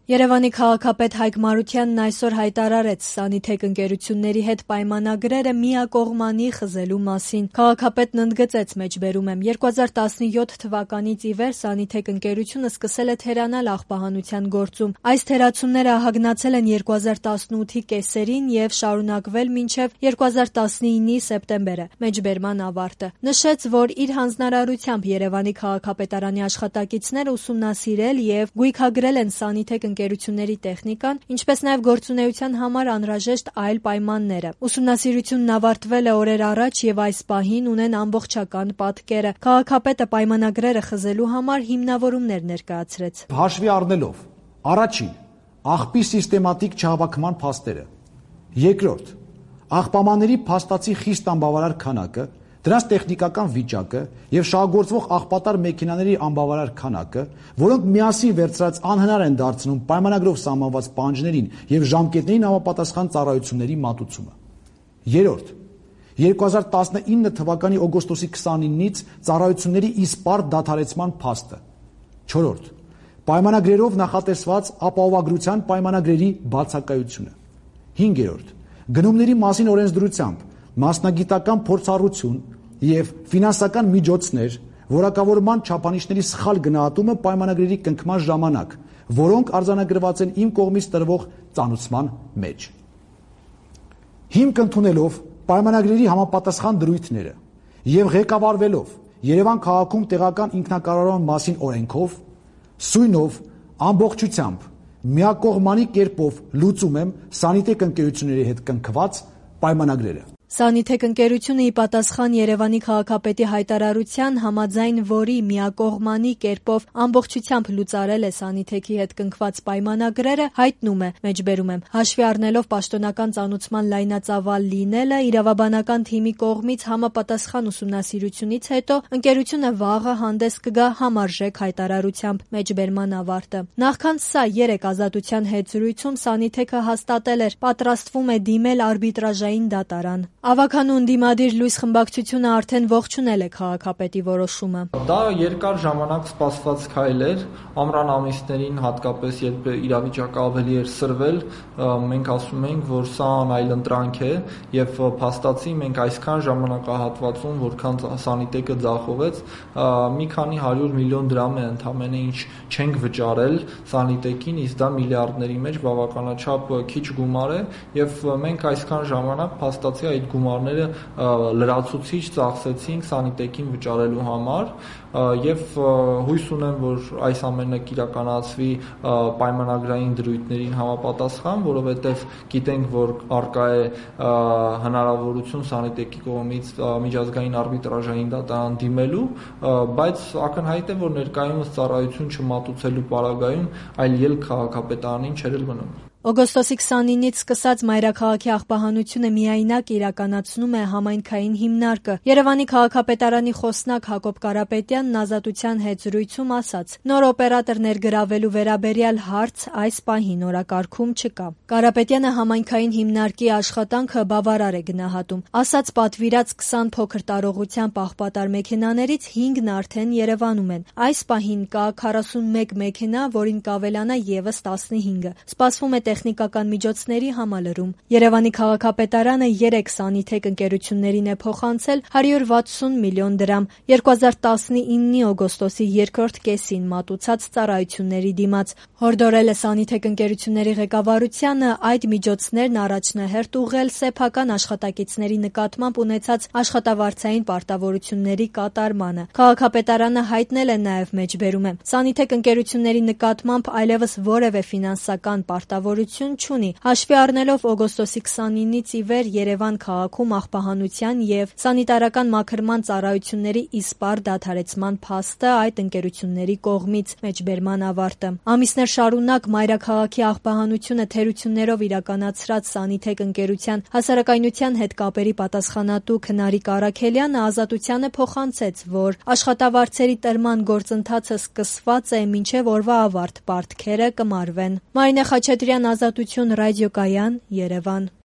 Երևանի քաղաքապետ Հայկ Մարությանն այսօր հայտարարեց Սանիթեք ընկերությունների հետ պայմանագրերը միակողմանի խզելու մասին։ Քաղաքապետն ընդգծեց, մեջբերում եմ, 2017 թվականից ի վեր Սանիթեք ընկերությունը սկսել է թերանալ աղբահանության գործում։ Այս թերացումները ահագնացել են 2018-ի կեսերին եւ շարունակվել մինչեւ 2019-ի սեպտեմբերը, մեջբերման ավարտը։ Նշեց, որ իր հանձնարարությամբ Երևանի քաղաքապետարանի աշխատակիցները ուսումնասիրել եւ գույքագրել են Սանիթեք ընկերությունների տեխնիկան, ինչպես նաև գործունեության համար անհրաժեշտ այլ պայմանները։ Ուսումնասիրությունն ավարտվել է օրեր առաջ եւ այս պահին ունեն ամբողջական պատկերը։ Քաղաքապետը պայմանագրերը խզելու համար հիմնավորումներ ներկայացրեց։ Հաշվի առնելով առաջին աղբի սիստեմատիկ չհավաքման փաստերը, երկրորդ աղբամանների փաստացի խիստ անբավարար քանակը, դրանց տեխնիկական վիճակը եւ շահագործվող աղբատար մեքենաների անբավարար քանակը, որոնք միասին վերցրած անհնար են դարձնում պայմանագրով սահմանված պահանջներին եւ ժամկետներին համապատասխան ծառայությունների մատուցումը։ Երրորդ 2019 թվականի օգոստոսի 29-ից ծառայությունների իսպառ դադարեցման փաստը։ Չորրորդ պայմանագրերով նախատեսված ապահովագրության պայմանագրերի բացակայությունը։ Հինգերորդ գնումների մասին օրենսդրությամբ մասնագիտական փորձառություն եւ ֆինանսական միջոցներ, որակավորման չափանիշների սխալ գնահատումը պայմանագրերի կնքման ժամանակ, որոնք արձանագրված են իմ կողմից տրվող ծանուցման մեջ։ Հիմք ընդունելով պայմանագրերի համապատասխան դրույթները եւ ղեկավարվելով Երևան քաղաքում տեղական ինքնակառավարման մասին օրենքով, սույնով ամբողջությամբ միակողմանի կերպով լուծում եմ Սանիթեք ընկերությունների հետ կնքված պայմանագրերը։ Սանիթեք ընկերությունը ի պատասխան Երևանի քաղաքապետի հայտարարության, համաձայն որի միակողմանի կերպով ամբողջությամբ լուծարել է Սանիթեքի հետ կնքված պայմանագրերը, հայտնում է, մեջբերում եմ, հաշվի առնելով պաշտոնական ծանուցման լայնածավալ լինելը, իրավաբանական թիմի կողմից համապատասխան ուսումնասիրությունից հետո ընկերությունը վաղը հանդես կգա համարժեք հայտարարությամբ, մեջբերման ավարտը։ Նախքան սա 3 ազատության հետ զրույցում Սանիթեքը հաստատել էր, պատրաստվում է դիմել արբիտրաժային դատարան։ Ավագանու ընդդիմադիր լույս խմբակցությունը արդեն ողջունել է քաղաքապետի որոշումը։ Դա երկար ժամանակ սպասված քայլ էր, ամռան ամիսներին հատկապես երբ իրավիճակը ավելի էր սրվել, մենք ասում էինք, որ սա այլընտրանք է եւ փաստացի մենք այսքան ժամանակահատվածում, որքան Սանիթեկը ձախողեց, մի քանի 100 միլիոն դրամ է ընդամենը ինչ չենք վճարել Սանիթեկին, իսկ դա միլիարդների մեջ բավականաչափ քիչ գումար է եւ մենք այսքան ժամանակ փաստացի այդ գումարները լրացուցիչ ծախսեցինք Սանիթեկին վճարելու համար եւ հույս ունեմ, որ այս ամենը կիրականացվի պայմանագրային դրույթներին համապատասխան, որովհետեւ գիտենք, որ արկա է հնարավորություն Սանիթեկի կողմից միջազգային արբիտրաժային դատարան դիմելու, բայց ակնհայտ է, որ ներկայումս ծառայություն չմատուցելու պարագայում այլ ելք քաղաքապետարանին չէր մնում։ Օգոստոսի 29-ից սկսած մայրաքաղաքի աղբահանությունը միայնակ իրականացնում է համայնքային հիմնարկը։ Երևանի քաղաքապետարանի խոսնակ Հակոբ Կարապետյանն ազատության հետ զրույցում ասաց. նոր օպերատոր ներգրավելու վերաբերյալ հարց այս պահին օրակարգում չկա։ Կարապետյանը համայնքային հիմնարկի աշխատանքը բավարար է գնահատում։ Ասաց պատվիրած 20 փոքր տարողությամբ աղբատար մեքենաներից 5-ն արդեն Երևանում են։ Այս պահին կա 41 մեքենա, որին կավելանա եւս 15-ը։ Սպասվում է տեխնիկական միջոցների համալրում։ Երևանի քաղաքապետարանը 3 Սանիթեք ընկերություններին է փոխանցել 160 միլիոն դրամ 2019-ի օգոստոսի 2-րդ կեսին մատուցած ծառայությունների դիմաց։ Հորդորել է Սանիթեք ընկերությունների ղեկավարությանը այդ միջոցներն առաջնահերթ ուղղել սեփական աշխատակիցների նկատմամբ ունեցած աշխատավարձային պարտավորությունների կատարմանը։ Քաղաքապետարանը հայտնել է նաև, մեջբերում է, Սանիթեք ընկերությունների նկատմամբ այլևս որևէ ֆինանսական պարտավորություն չունի, հաշվի առնելով օգոստոսի 29-ից ի վեր Երևան քաղաքում աղբահանության եւ սանիտարական մաքրման ծառայությունների իսպառ դադարեցման փաստը այդ ընկերությունների կողմից, մեջբերման ավարտը։ Ամիսներ շարունակ մայրաքաղաքի աղբահանությունը թերություններով իրականացրած Սանիթեք ընկերության հասարակայնության հետ կապերի պատասխանատու Քնարիկ Առաքելյանը ազատությանը փոխանցեց, որ աշխատավարձերի տրման գործընթացը սկսված է, մինչև օրվա ավարտ պարտքերը կմարվեն։ Մարինե Խաչատրյան, Ազատություն, ռադիոկայան, Երևան։